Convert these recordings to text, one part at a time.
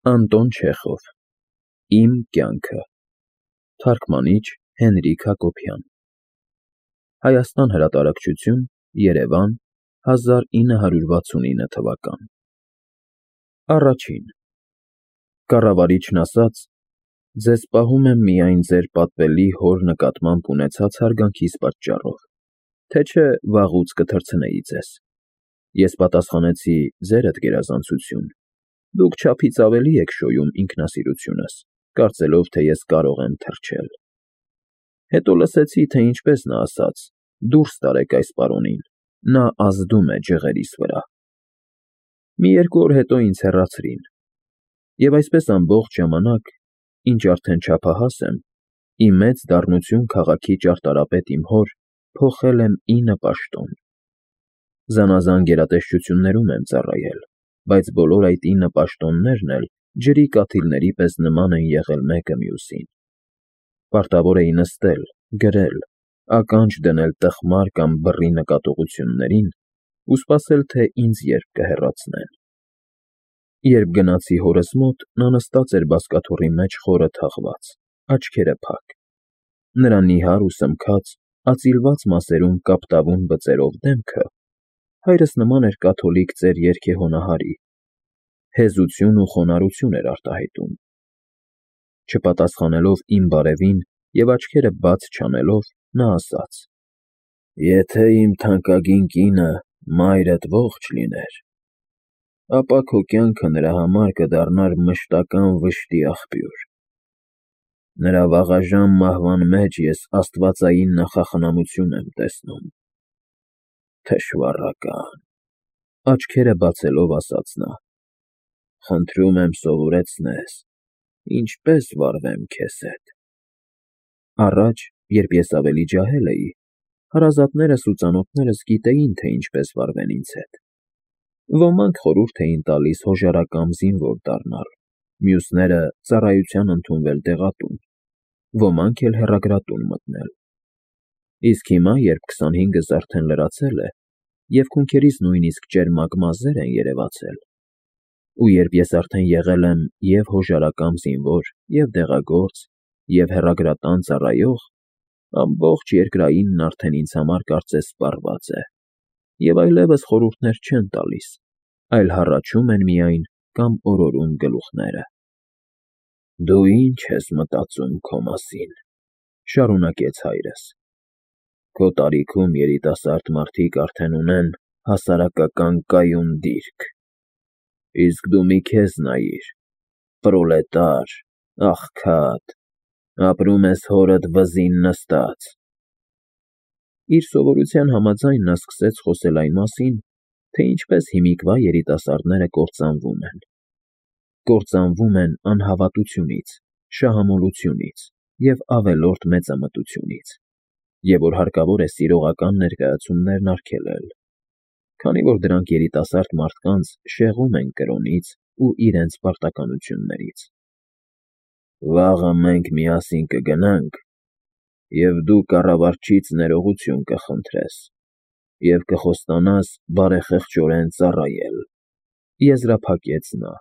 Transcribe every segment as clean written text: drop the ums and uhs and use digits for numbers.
Անտոն Չեխով Իմ կյանքը Թարգմանիչ Հենրիկ Հակոբյան Հայաստան հրատարակչություն Երևան 1969 թվական Առաջին Կառավարիչն ասաց. ձեզ պահում եմ միայն ձեր պատվելի հոր նկատմամբ ունեցած հարգանքիս պատճառով, թե չէ վաղուց կթռցնեի ձեզ։ Ես պատասխանեցի. ձերդ գերազանցություն, դուք չափից ավելի եք շոյում ինքնասիրությունս, կարծելով, թե ես կարող եմ թռչել։ Հետո լսեցի, թե ինչպես նա ասաց. դուրս տարեք այս պարոնին, նա ազդում է ջղերիս վրա։ Մի երկու օր հետո ինձ հեռացրին, և այսպես ամբողջ ժամանակ, ինչ արդեն չափահաս եմ, ի մեծ դառնություն քաղաքի ճարտարապետ իմ հոր, փոխել եմ 9 պաշտոն։ Զանազան գերատեսչություններում եմ ծառայել, բայց բոլոր այդ 9 պաշտոններն էլ ջրի կաթիլների պես նման են եղել մեկը մյուսին։ Պարտավոր էի նստել, գրել, ականջ դնել տխմար կամ բռի նկատողություններին ու սպասել, թե ինձ երբ կհեռացնեն։ Երբ գնացի հորս մոտ, նա նստած էր բազկաթոռի մեջ խորը թաղված, աչքերը փակ։ Նրա նիհար ու սմքած, ածիլված մասերում կապտավուն բծերով դեմքը հայրս նման էր կաթոլիկ ծեր երգեհոնահարի, հեզություն ու խոնարհություն էր արտահայտում։ Չպատասխանելով իմ բարևին և աչքերը բաց չանելով, նա ասաց. «Եթե իմ թանկագին կինը, մայրդ ողջ լիներ, ապա քո կյանքը նրա համար կդառնար մշտական վշտի աղբյուր։ Նրա վաղաժամ մահվան մեջ ես աստվածային նախախնամություն եմ տեսնում»։ Թշվառական, աչքերը բացելով ասաց նա, խնդրում եմ սովորեցնես, ինչպես վարվեմ քեզ հետ։ Առաջ, երբ ես ավելի ջահել էի, հարազատներս ու ծանոթներս գիտեին, թե ինչպես վարվեն ինձ հետ։ Ոմանք խորհուրդ էին տալիս հոժարակամ զինվոր դառնալ, մյուսները ծառայության ընդունվել դեղատուն, ոմանք էլ հեռագրատուն մտնել։ Իսկ հիմա, երբ 25-ս արդեն լրացել է, և քունքերից նույնիսկ ճերմակ մազեր են երևացել, ու երբ ես արդեն եղել եմ և հոժարակամ զինվոր, և դեղագործ, և հեռագրատան ծառայող, ամբողջ երկրայինն արդեն ինձ համար կարծես սպառված է, և այլևս խորհուրդներ չեն տալիս, այլ հառաչում են միայն կամ օրորում գլուխները։ «Դու ի՞նչ ես մտածում քո մասին», շարունակեց հայրս։ «Քո տարիքում երիտասարդ մարդիկ արդեն ունեն հասարակական կայուն դիրք, իսկ դու մի քեզ նայիր, պրոլետար, աղքատ, ապրում ես հորդ վզին նստած»։ Իր սովորության համաձայն նա սկսեց խոսել այն մասին, թե ինչպես հիմիկվա երիտասարդները կործանվում են։ Կործանվում են անհավատությունից, շահամոլությունից և ավելորդ մեծամտությունից, և որ հարկավոր է սիրողական ներկայացումներն արգելել, քանի որ դրանք երիտասարդ մարդկանց շեղում են կրոնից ու իրենց պարտականություններից։ «Վաղը մենք միասին կգնանք, և դու կառավարչից ներողություն կխնդրես և կխոստանաս բարեխեղճորեն ծառայել», եզրափակեց նա։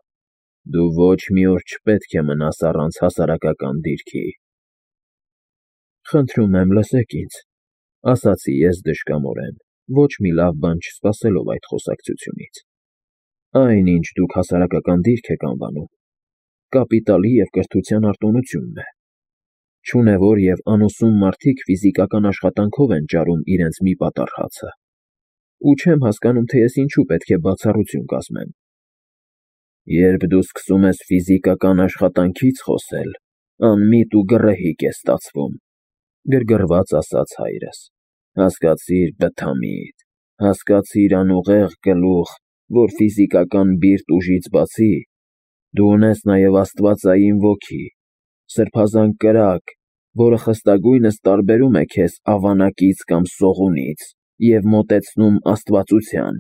«Դու ոչ մի օր չպետք է մնաս առանց հասարակական դիրքի»։ «Խնդրում եմ, լսեք ինձ», ասացի ես դժկամորեն, ոչ մի լավ բան չսպասելով այդ խոսակցությունից։ «Այն, ինչ դուք հասարակական դիրք եք անվանում, կապիտալի և կրթության արտոնությունն է։ Չունևոր և անուսուն մարդիկ ֆիզիկական աշխատանքով են ճարում իրենց մի պատառ հացը, ու չեմ հասկանում, թե ես ինչու պետք է բացառություն կազմեմ»։ «Երբ դու սկսում ես ֆիզիկական աշխատանքից խոսել, անմիտ ու գռեհիկ է ստացվում», գրգռված ասաց հայրս։ «Հասկացիր, բթամիտ, հասկացիր անուղեղ գլուխ, որ ֆիզիկական բիրտ ուժից բացի, դու ունես նաև աստվածային ոգի, սրբազան կրակ, որը խստագույնս տարբերում է քեզ ավանակից կամ սողունից և մոտեցնում աստվածության։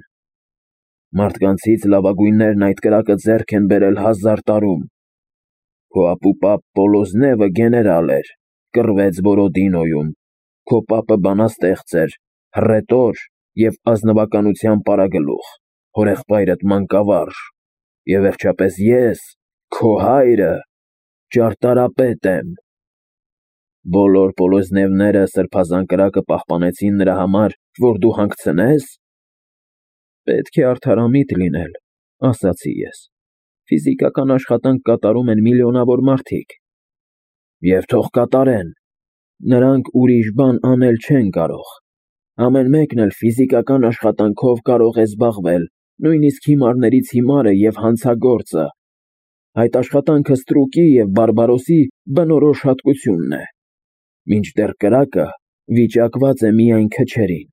Մարդկանցից լավագույններն այդ կրակը ձեռք են բերել 1000 տարում։ Քո ապուպապ Պոլոզնևը գեներալ էր, կռվեց Բորոդինոյում, քո պապը բանաստեղծ էր, հռետոր և ազնվականության պարագլուխ, հորեղբայրդ մանկավարժ, և վերջապես ես, Քո հայրը ճարտարապետ եմ։ Բոլոր Պոլոզնևները սրբազան կրակը պահպանեցին նրա համար, որ դու հանգցնես։ Պետք է արդարամիտ լինել, ասացի ես։ Ֆիզիկական աշխատանք կատարում են միլիոնավոր մարդիկ։ Եվ թող կատարեն։ Նրանք ուրիշ բան անել չեն կարող։ Ամեն մեկն էլ ֆիզիկական աշխատանքով կարող է զբաղվել, նույնիսկ հիմարներից հիմարը և հանցագործը։ Այդ աշխատանքը ստրուկի և բարբարոսի բնորոշ հատկությունն է, մինչդեռ կրակը վիճակված է միայն քչերին։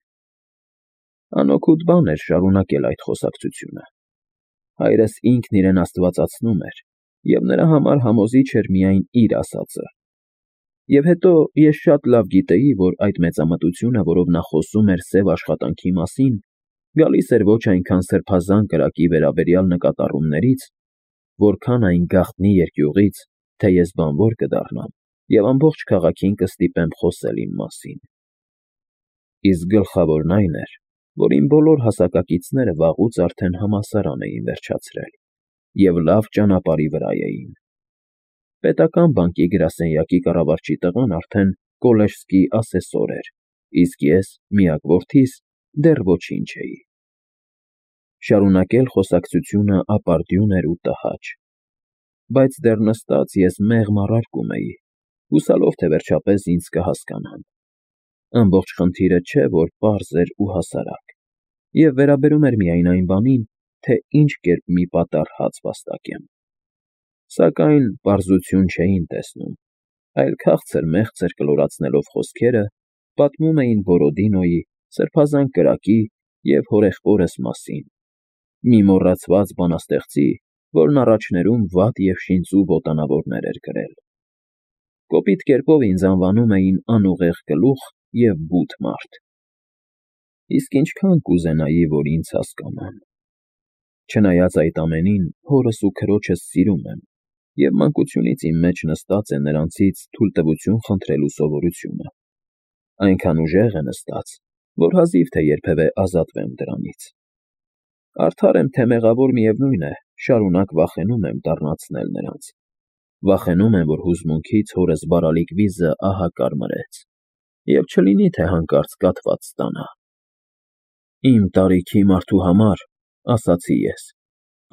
Անօգուտ բան էր շարունակել այդ խոսակցությունը։ Հայրս ինքն իրեն աստվածացնում էր, և նրա համար համոզիչ էր միայն իր ասածը։ Եվ հետո ես շատ լավ գիտեի, որ այդ մեծամտությունը, որով նա խոսում էր սև աշխատանքի մասին, գալիս էր ոչ այնքան սրբազան կրակի վերաբերյալ նկատառումներից, որքան այն գաղտնի երկյուղից, թե ես բանվոր կդառնամ և ամբողջ քաղաքին կստիպեմ խոսել իմ մասին։ Իսկ գլխավորն այն էր, որ իմ բոլոր հասակակիցները վաղուց արդեն համալսարան էին վերջացրել և լավ ճանապարհի վրա էին։ Պետական բանկի գրասենյակի կառավարչի տղան արդեն կոլեժский ասեսոր էր, իսկ ես, միակ որդիս, դեռ ոչինչ էի։ Շարունակել խոսակցությունը ապարդյուն էր ու տհաճ, բայց դեռ նստած ես մեղմ առարկում էի, հուսալով, թե վերջապես ինձ կհասկանան։ Ամբողջ խնդիրը չէ, որ պարզ էր ու հասարակ, և վերաբերում էր միայն այն բանին, թե ինչ կերպ մի պատառ հաց վաստակեմ։ Սակայն պարզություն չէին տեսնում, այլ քաղցր֊մեղցր կլորացնելով խոսքերը, պատմում էին Բորոդինոյի, սրբազան կրակի և հորեղբորս մասին, մի մոռացված բանաստեղծի, որն առաջներում վատ և շինծու ոտանավորներ էր գրել։ Կոպիտ կերպով ինձ անվանում էին անուղեղ գլուխ և բութ մարդ։ Իսկ ինչքան կուզենայի, որ ինձ հասկանան։ Չնայած այդ ամենին, հորս ու քրոջս սիրում եմ, և մանկությունից իմ մեջ նստած է նրանցից թույլտվություն խնդրելու սովորությունը։ Այնքան ուժեղ է նստած, որ հազիվ թե երբևէ ազատվեմ դրանից։ Արդար եմ, թե մեղավոր, միևնույն է, շարունակ վախենում եմ դառնացնել նրանց։ Վախենում եմ, որ հուզմունքից հորս բարալիկ վիզը ահա կարմրեց, և չլինի, թե հանկարծ կաթված ստանա։ Իմ տարիքի մարդու համար, ասացի ես,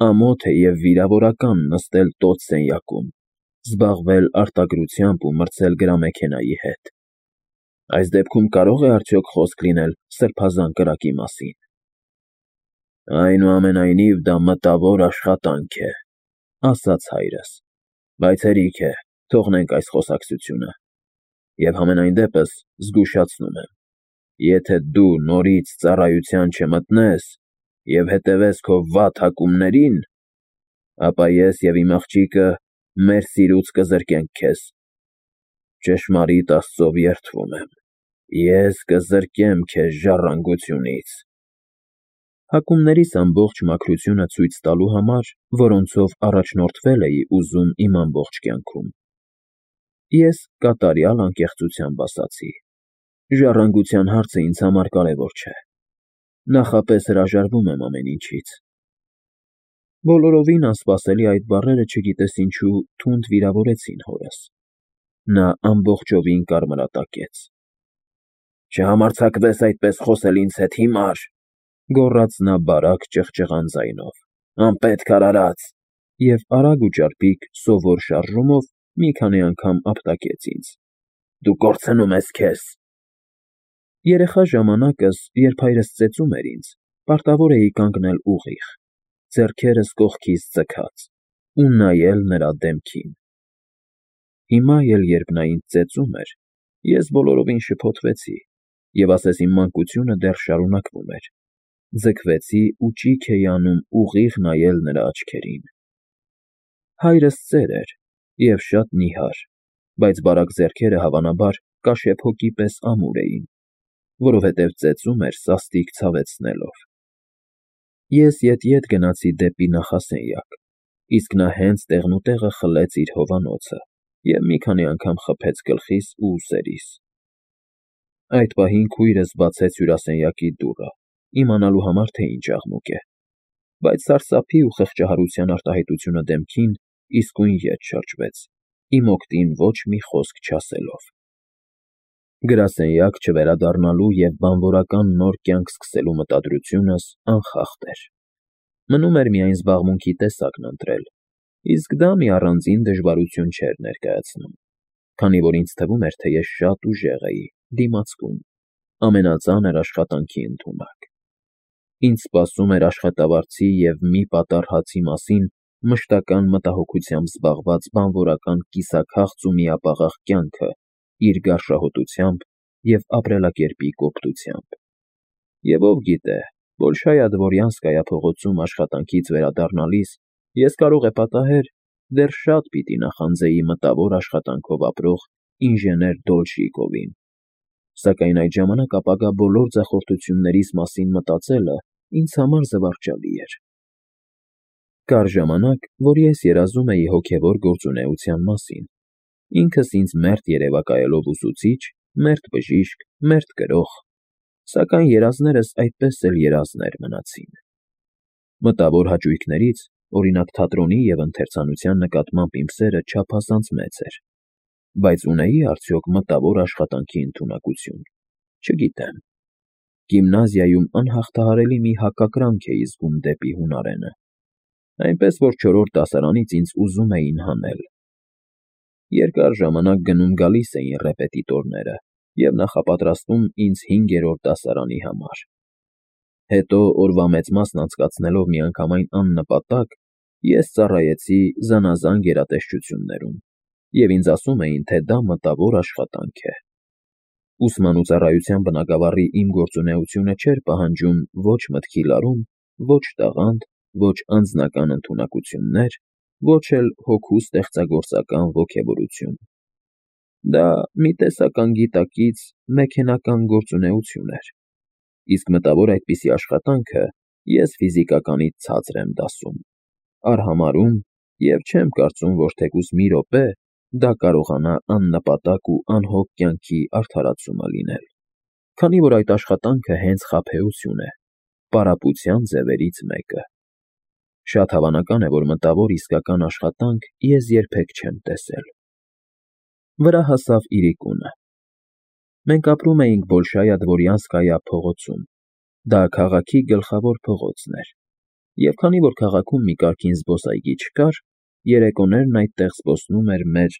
ամոթ է և վիրավորական նստել տոց սենյակում, զբաղվել արտագրությամբ ու մրցել գրամեքենայի հետ։ Այս դեպքում կարո՞ղ է արդյոք խոսք լինել սրբազան կրակի մասին։ Այնուամենայնիվ, դա մտավոր աշխատանք է, ասաց հայրս, բայց հերիք է, թողնենք այս խոսակցությունը։ Եվ համենայն դեպս զգուշացնում եմ, եթե դու նորից ծառայության չմտնես և հետևես քո վատ հակումներին, ապա ես և իմ աղջիկը մեր սիրուց կզրկենք քեզ։ Ճշմարիտ Աստծով երդվում եմ, ես կզրկեմ քեզ ժառանգությունից։ Հակումներիս ամբողջ մաքրությունը ցույց տալու համար, որոնցով առաջնորդվել էի ուզում իմ ամբողջ կյանքում, ես կատարյալ անկեղծությամբ ասացի. ժառանգության հարցը ինձ համար կարևոր չէ, նախապես հրաժարվում եմ ամեն ինչից։ Բոլորովին անսպասելի այդ բառերը չգիտես ինչու թունդ վիրավորեցին հորս։ Նա ամբողջովին կարմրատակեց։ Չհամարձակվես այդպես խոսել ինձ հետ, հիմար, գոռաց նա բարակ ճղճղան ձայնով, անպետք արարած, և արագ ու ճարպիկ սովոր շարժումով մի քանի անգամ ապտակեց ինձ։ Դու կորցնում ես քեզ։ Երեխա ժամանակս, երբ հայրս ծեծում էր ինձ, պարտավոր էի կանգնել ուղիղ, ձեռքերս կողքիս ձգած ու նայել նրա դեմքին։ Հիմա էլ, երբ նա ինձ ծեծում էր, ես բոլորովին շփոթվեցի և ասես իմ մանկությունը դեռ շարունակվում էր, ձգվեցի ու ճիգ էի անում ուղիղ նայել նրա աչքերին։ Հայրս ծեր էր և շատ նիհար, բայց բարակ ձեռքերը հավանաբար կաշեպ հոկի պես ամուր էին, որովհետև ծեծում էր սաստիկ ցավեցնելով։ Ես ետ-ետ գնացի դեպի նախասենյակ, իսկ նա հենց տեղնուտեղը խլեց իր հովանոցը և մի քանի անգամ խփեց գլխիս ու ուսերիս։ Այդ պահին քույրս բացեց հյուրասենյակի դուռը, իմանալու համար, թե ինչ աղմուկ է, բայց սարսափի ու խղճահարության արտահայտությունը դեմքին իսկույն ետ շրջվեց, իմ օգտին ոչ մի խոսք չասելով։ Գրասենյակ չվերադառնալու և բանվորական նոր կյանք սկսելու մտադրությունս անխախտ էր։ Մնում էր միայն զբաղմունքի տեսակն ընտրել, իսկ դա մի առանձին դժվարություն չէր ներկայացնում, քանի որ ինձ թվում էր, թե ես շատ ուժեղ էի, դիմացկուն, ամենածանր աշխատանքի ընդունակ։ Ինձ սպասում էր աշխատավարձի և մի պատառ հացի մասին մշտական մտահոգությամբ զբաղված բանվորական կիսաքաղց ու միապաղաղ կյանքը իր գարշահոտությամբ և ապրելակերպի կոպտությամբ։ Եվ ով գիտե, Բոլշայա Դվորյանսկայա փողոցում աշխատանքից վերադառնալիս ես կարող է պատահեր դեռ շատ պիտի նախանձեի մտավոր աշխատանքով ապրող ինժեներ Դոլշիկովին, սակայն այդ ժամանակ ապագա բոլոր ձախորդություններիս մասին մտածելը ինձ համար զվարճալի էր։ Կար ժամանակ, որ ես երազում էի հոգևոր գործունեության մասին, ինքս ինձ մերթ երևակայելով ուսուցիչ, մերթ բժիշկ, մերթ գրող, սակայն երազներս այդպես էլ երազներ մնացին։ Մտավոր հաճույքներից, օրինակ թատրոնի և ընթերցանության նկատմամբ իմ սերը չափազանց մեծ էր, բայց ունեի՞ արդյոք մտավոր աշխատանքի ընդունակություն, չգիտեմ։ Գիմնազիայում անհաղթահարելի մի հակակրանք էի զգում դեպի հունարենը, այնպես որ չորրորդ դասարանից ինձ ուզում էին հանել։ Երկար ժամանակ գնում֊գալիս էին ռեպետիտորները և նախապատրաստում ինձ հինգերորդ դասարանի համար։ Հետո օրվա մեծ մասն անցկացնելով միանգամայն աննպատակ, ես ծառայեցի զանազան գերատեսչություններում, և ինձ ասում էին, թե դա մտավոր աշխատանք է։ Ուսման ու ծառայության բնագավառի իմ գործունեությունը չէր պահանջում ոչ մտքի լարում, ոչ տաղանդ, ոչ անձնական ընդունակություններ, ոչ էլ հոգու ստեղծագործական ոգևորություն։ Դա մի տեսակ անգիտակից մեքենական գործունեություն էր, իսկ մտավոր այդպիսի աշխատանքը ես ֆիզիկականից ցածր եմ դասում, արհամարհում և չեմ կարծում, որ թեկուզ մի րոպե դա կարողանա աննպատակ ու անհոգ կյանքի արդարացումը լինել, քանի որ այդ աշխատանքը հենց խաբեություն է, պարապության ձևերից մեկը։ Շատ հավանական է, որ մտավոր իսկական աշխատանք ես երբեք չեմ տեսել։ Վրա հասավ իրիկունը։ Մենք ապրում էինք Բոլշայա Դվորյանսկայա փողոցում, դա քաղաքի գլխավոր փողոցն էր, և քանի որ քաղաքում մի կարգին զբոսայգի չկար, երեկոներն այդտեղ զբոսնում էր մեր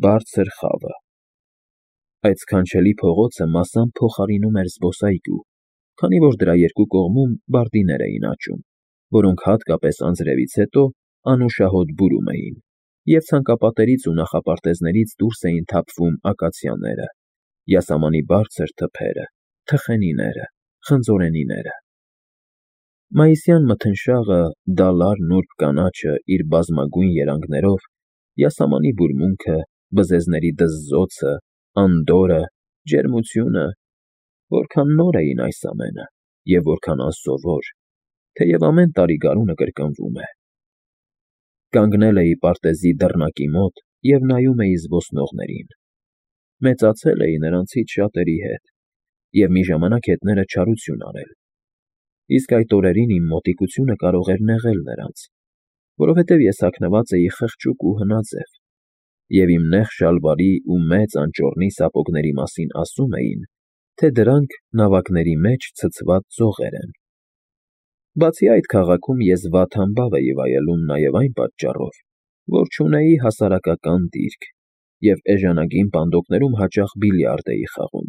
«բարձր խավը»։ Այդ սքանչելի փողոցը մասամբ փոխարինում էր զբոսայգու, քանի որ դրա երկու կողմում բարդիներ էին աճում, որոնք հատկապես անձրևից հետո անուշահոտ բուրում էին, և ցանկապատերից ու նախապարտեզներից դուրս էին թափվում ակացիաները, յասամանի բարձր թփերը, թխենիները, խնձորենիները։ Մայիսյան մթնշաղը, դալար նուրբ կանաչը իր բազմագույն երանգներով, յասամանի բուրմունքը, բզեզների դզզոցը, անդորրը, ջերմությունը, որքան նոր էին այս ամենը, և որքան անսովոր, թեև ամեն տարի գարունը կրկնվում է։ Կանգնել էի պարտեզի դռնակի մոտ և նայում էի զբոսնողներին։ Մեծացել էի նրանցից շատերի հետ, և մի ժամանակ հետները չարություն արել, իսկ այդ օրերին իմ մոտիկությունը կարող էր նեղել նրանց, որովհետև ես հագնված էի խղճուկ ու հնաձև, և իմ նեղ շալվարի ու մեծ անճոռնի սապոգների մասին ասում էին, թե դրանք նավակների մեջ ցցված ձողեր են։ Բացի այդ, քաղաքում ես վատ համբավ էի վայելում նաև այն պատճառով, որ չունեի հասարակական դիրք և էժանագին պանդոկներում հաճախ բիլիարդ էի խաղում,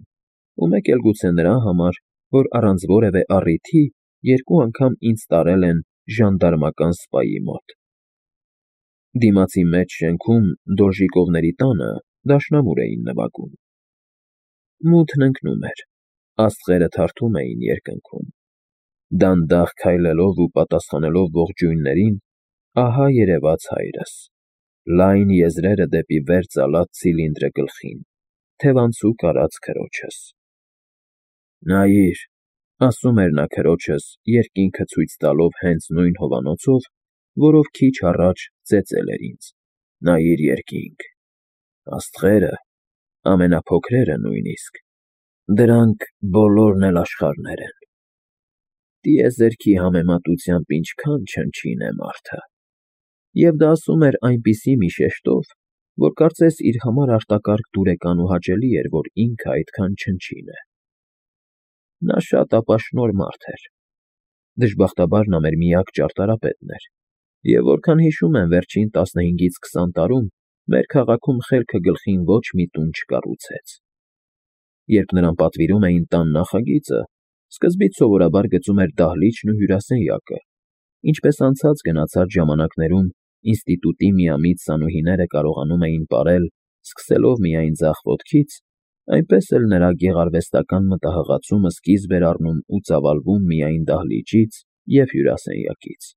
ու մեկ էլ գուցե նրա համար, որ առանց որևէ առիթի երկու անգամ ինձ տարել են ժանդարմական սպայի մոտ։ Դիմացի մեծ շենքում Դոլժիկովների տանը դաշնամուր էին նվագում։ Մութն ընկնում էր, աստղերը թարթում էին երկնքում։ Դանդաղ քայլելով ու պատասխանելով ողջույններին, ահա երևաց հայրս, լայն եզրերը դեպի վեր ծալած ցիլինդրը գլխին, թևանցուկ արած քրոջս։ «Նայիր», ասում էր նա քրոջս, երկինքը ցույց տալով հենց նույն հովանոցով, որով քիչ առաջ ծեծել էր ինձ, «նայիր երկինք, աստղերը, ամենափոքրերը նույնիսկ, դրանք բոլորն էլ աշխարհներ են։ Տիեզերքի համեմատությամբ ինչքան չնչին է մարդը»։ Եվ դա ասում էր այնպիսի մի շեշտով, որ կարծես իր համար արտակարգ դուրեկան ու հաճելի էր, որ ինքը այդքան չնչին է։ Նա շատ ապաշնորհ մարդ էր։ Դժբախտաբար նա մեր միակ ճարտարապետն էր, և որքան հիշում եմ վերջին 15-ից 20 տարում մեր քաղաքում խելքը գլխին ոչ մի տուն չկառուցեց։ Երբ նրան պատվիրում էին տան նախագիծը, սկզբից սովորաբար գծում էր դահլիճն ու հյուրասենյակը, ինչպես անցած գնացած ժամանակներում ինստիտուտի միամիտ սանուհիները կարողանում էին պարել, սկսելով միայն ձախ ոտքից, այնպես էլ նրա գեղարվեստական մտահղացումը սկիզբ էր առնում ու ծավալվում միայն դահլիճից և հյուրասենյակից։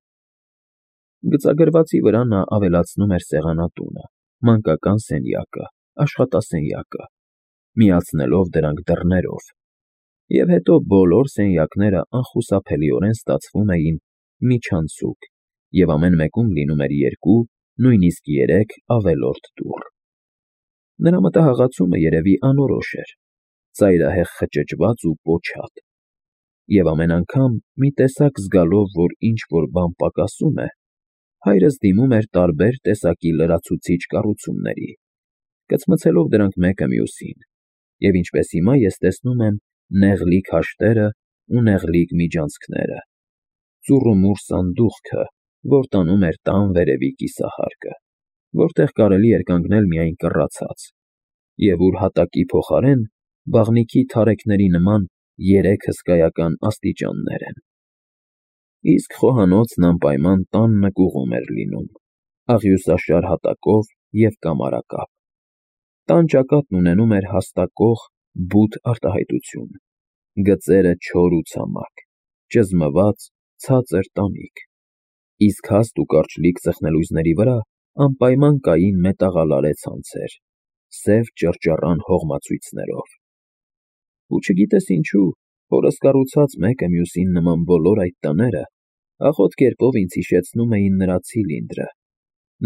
Գծագրվածի վրա նա ավելացնում էր սեղանատունը, մանկական սենյակը, աշխատասենյակը, միացնելով դրանք դռներով, և հետո բոլոր սենյակները անխուսափելիորեն ստացվում էին միջանցիկ, և ամեն մեկում լինում էր 2, նույնիսկ 3 ավելորդ դուռ։ Նրա մտահղացումը երևի անորոշ էր, ծայրահեղ խճճված ու պոչատ, և ամեն անգամ, մի տեսակ զգալով, որ ինչ֊որ բան պակասում է, հայրս դիմում էր տարբեր տեսակի լրացուցիչ կառուցումների, կծմցելով դրանք մեկը մյուսին, և ինչպես հիմա ես տեսնում եմ նեղլիկ հաշտերը ու նեղլիկ միջանցքները, ծուռումուռ սանդուղքը, որ տանում էր տան վերևի կիսահարկը, որտեղ կարելի էր կանգնել միայն կռացած, և ուր հատակի փոխարեն բաղնիքի թարեքների նման 3 հսկայական աստիճաններ են։ Իսկ խոհանոցն անպայման տան նկուղում էր լինում, աղյուսաշար հատակով և կամարակապ։ Տան ճակատն ունենում էր հաստակող, բութ արտահայտություն, գծերը չոր ու ցամաք, ճզմված, ցածր տանիք, իսկ հաստ ու կարճլիկ ծխնելույզների վրա անպայման կային մետաղալարե ցանցեր, սև ճռճռան հողմացույցներով։ Ու չգիտես ինչու, հորս կառուցած մեկը մյուսին նման բոլոր այդ տները աղոտ կերպով ինձ հիշեցնում էին նրա ցիլինդրը,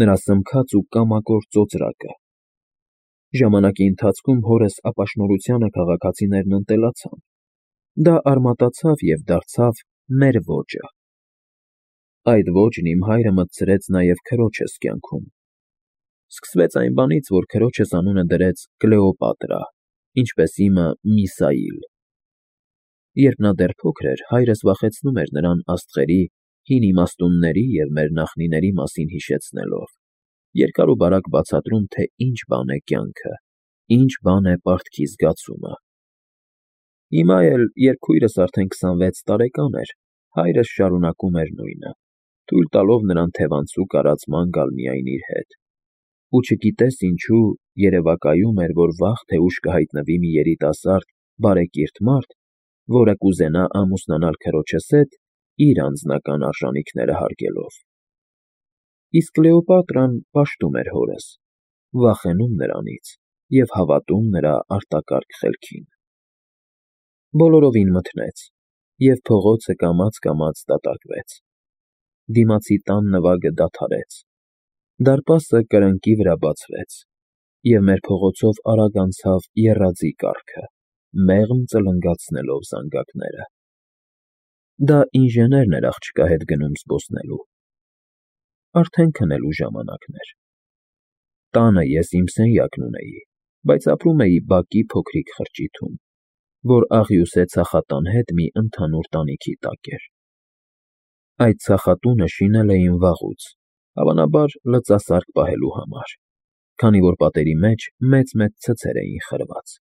նրա սմքած ու կամակոր ծոծրակը։ Ժամանակի ընթացքում հորս ապաշնորհությանը քաղաքացիներն ընտելացան, դա արմատացավ և դարձավ մեր ոճը։ Այդ ոճն իմ հայրը մտցրեց նաև քրոջս կյանքում։ Սկսվեց այն բանից, որ քրոջս անունը դրեց Կլեոպատրա, ինչպես իմը՝ Միսաիլ։ Երբ նա դեռ փոքր էր, հայրս վախեցնում էր նրան աստղերի, հին իմաստունների և մեր նախնիների մասին հիշեցնելով, երկար ու բարակ բացատրում, թե ինչ բան է կյանքը, ինչ բան է պարտքի զգացումը։ Հիմա էլ, երբ քույրս արդեն 26 տարեկան էր, հայրս շարունակում էր նույնը, թույլ տալով նրան թևանցուկ արածման գալ միայն իր հետ։ Ու չգիտես ինչու, երևակայում էր, որ վաղ թե ուշ կհայտնվի մի երիտասարդ, բարեկիրթ մարդ, որը կուզենա ամուսնանալ քրոջս հետ, իր անձնական արժանիքները հարգելով։ Իսկ Կլեոպատրան պաշտում էր հորս, վախենում նրանից և հավատում նրա արտակարգ խելքին։ Բոլորովին մթնեց, և փողոցը կամաց֊կամաց դատարկվեց։ Դիմացի տան նվագը դադարեց, դարպասը կրկնակի վրա բացվեց, և մեր փողոցով արագ անցավ եռաձի կառքը, մեղմ ծլնգացնելով զանգակները։ Դա ինժեներն էր աղջկա հետ գնում զբոսնելու։ Արդեն քնելու ժամանակն էր։ Տանը ես իմ սենյակն ունեի, բայց ապրում էի բակի փոքրիկ խրճիթում, որ աղյուսե ցախատան հետ մի ընդհանուր տանիքի տակ էր։ Այդ ցախատունը շինել էին վաղուց, հավանաբար լծասարք պահելու համար, քանի որ պատերի մեջ մեծ-մեծ ցցեր էին խրված։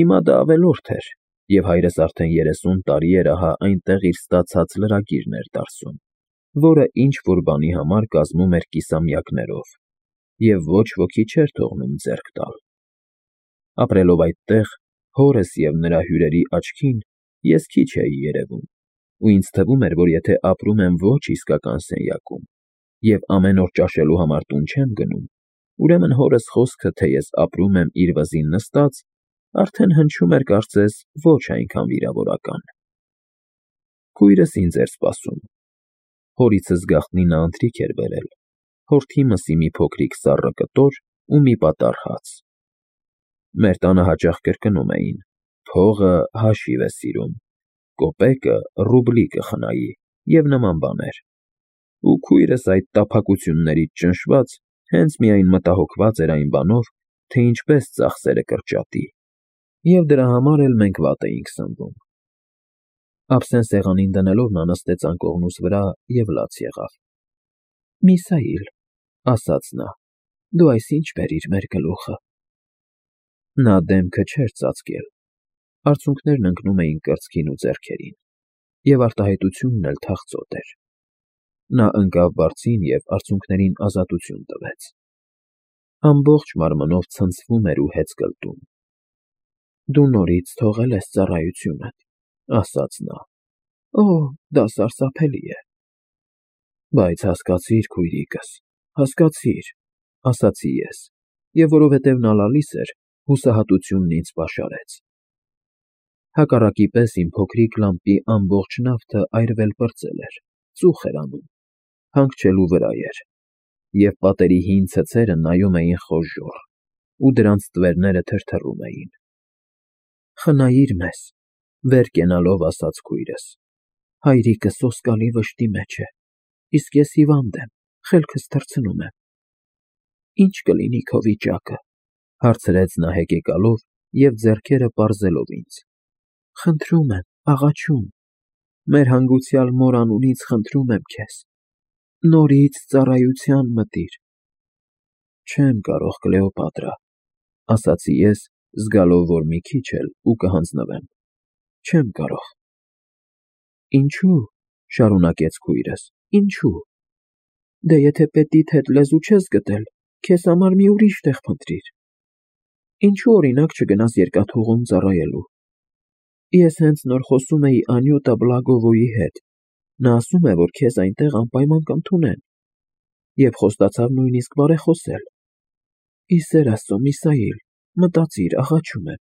Հիմա դա ավելորդ էր, և հայրս արդեն 30 տարի էր ահա այնտեղ իր ստացած լրագիրն էր դարսում, որը ինչ֊որ բանի համար կազմում էր կիսամյակներով, և ոչ ոքի չէր թողնում ձեռք տալ։ Ապրելով այդտեղ, հորս և նրա հյուրերի աչքին ես քիչ էի երևում, ու ինձ թվում էր, որ եթե ապրում եմ ոչ իսկական սենյակում և ամեն օր ճաշելու համար տուն չեմ գնում, ուրեմն հորս խոսքը, թե ես ապրում եմ իր վզին նստած, արդեն հնչում էր կարծես ոչ այնքան վիրավորական։ Քույրս ինձ էր սպասում։ Հորիցս գաղտնի նա ընթրիք էր բերել, հորթի մսի մի փոքրիկ սառը կտոր ու մի պատառ հաց։ Մեր տանը հաճախ կրկնում էին. «Փողը հաշիվ է սիրում, կոպեկը ռուբլի կխնայի» և նման բաներ։ Ու քույրս այդ տափակություններից ճնշված հենց միայն մտահոգված էր այն բանով, թե ինչպես ծախսերը կրճատի, և դրա համար էլ մենք վատ էինք սնվում։ Ափսեն սեղանին դնելով նա նստեց անկողնուս վրա և լաց եղավ։ «Միսայիլ», ասաց նա, «դու այս ինչ բերիր մեր գլուխը»։ Նա դեմքը չէր ծածկել, արցունքներն ընկնում էին կրծքին ու ձեռքերին, և արտահայտությունն էլ թախծոտ էր։ Նա ընկավ բարձին և արցունքներին ազատություն տվեց։ Ամբողջ մարմնով ցնցվում էր ու հեծկլտում։ «Դու նորից թողել ես ծառայությունդ», ասաց նա։ «Օ, դա սարսափելի է»։ «Բայց հասկացիր, քույրիկս, հասկացիր», ասացի ես, և որովհետև նա լալիս էր, հուսահատությունն ինձ պաշարեց։ Հակառակի պես իմ փոքրիկ լամպի ամբողջ նավթը այրվել պրծել էր, ծուխ էր անում, հանգչելու վրա էր, և պատերի հին ցցերը նայում էին խոժոռ, ու դրանց տվերները թրթռում էին։ «Խնայիր մեզ», վեր կենալով ասաց քույրս, «հայրիկը սոսկալի վշտի մեջ է, իսկ ես հիվանդ եմ, խելքս թռցնում եմ»։ «Ի՞նչ կլինի քո վիճակը», հարցրեց նա հեկեկալով և ձեռքերը պարզելով ինձ։ «Խնդրում եմ, աղաչում, մեր հանգուցյալ մոր անունից խնդրում եմ քեզ, նորից ծառայության մտիր»։ «Չեմ կարող, Կլեոպատրա», ասացի ես, զգալով, որ մի քիչ էլ ու կհանձնվեմ, «չեմ կարող»։ «Ինչո՞ւ», շարունակեց քույրս, «ինչո՞ւ։ Դե եթե պետիդ հետ լեզու չես գտել, քեզ համար մի ուրիշ տեղ փնտրիր։ Ինչո՞ւ, օրինակ, չգնաս երկաթուղում ծառայելու։ Ես հենց նոր խոսում էի Անյուտա Բլագովոյի հետ, նա ասում է, որ քեզ այնտեղ անպայման կընդունեն, և խոստացավ նույնիսկ բարեխոսել։ Ի սեր Աստծո, Միսայիլ, մտածիր, աղաչում եմ,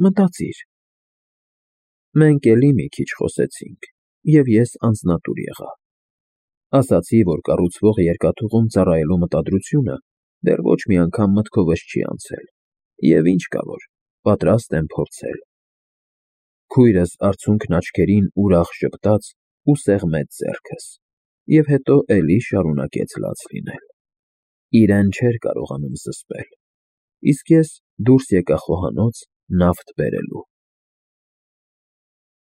մտածիր»։ Մենք էլի մի քիչ խոսեցինք, և ես անձնատուր եղա։ Ասացի, որ կառուցվող երկաթուղում ծառայելու մտադրությունը դեռ ոչ մի անգամ մտքովս չի անցել, և ինչ կա որ, պատրաստ եմ փորձել։ Քույրս արցունքն աչքերին ուրախ ժպտաց ու սեղմեց ձեռքս, և հետո էլի շարունակեց լաց լինել։ Իրեն չէր կարողանում զսպել, իսկ ես դուրս եկա խոհանոց նավթ բերելու։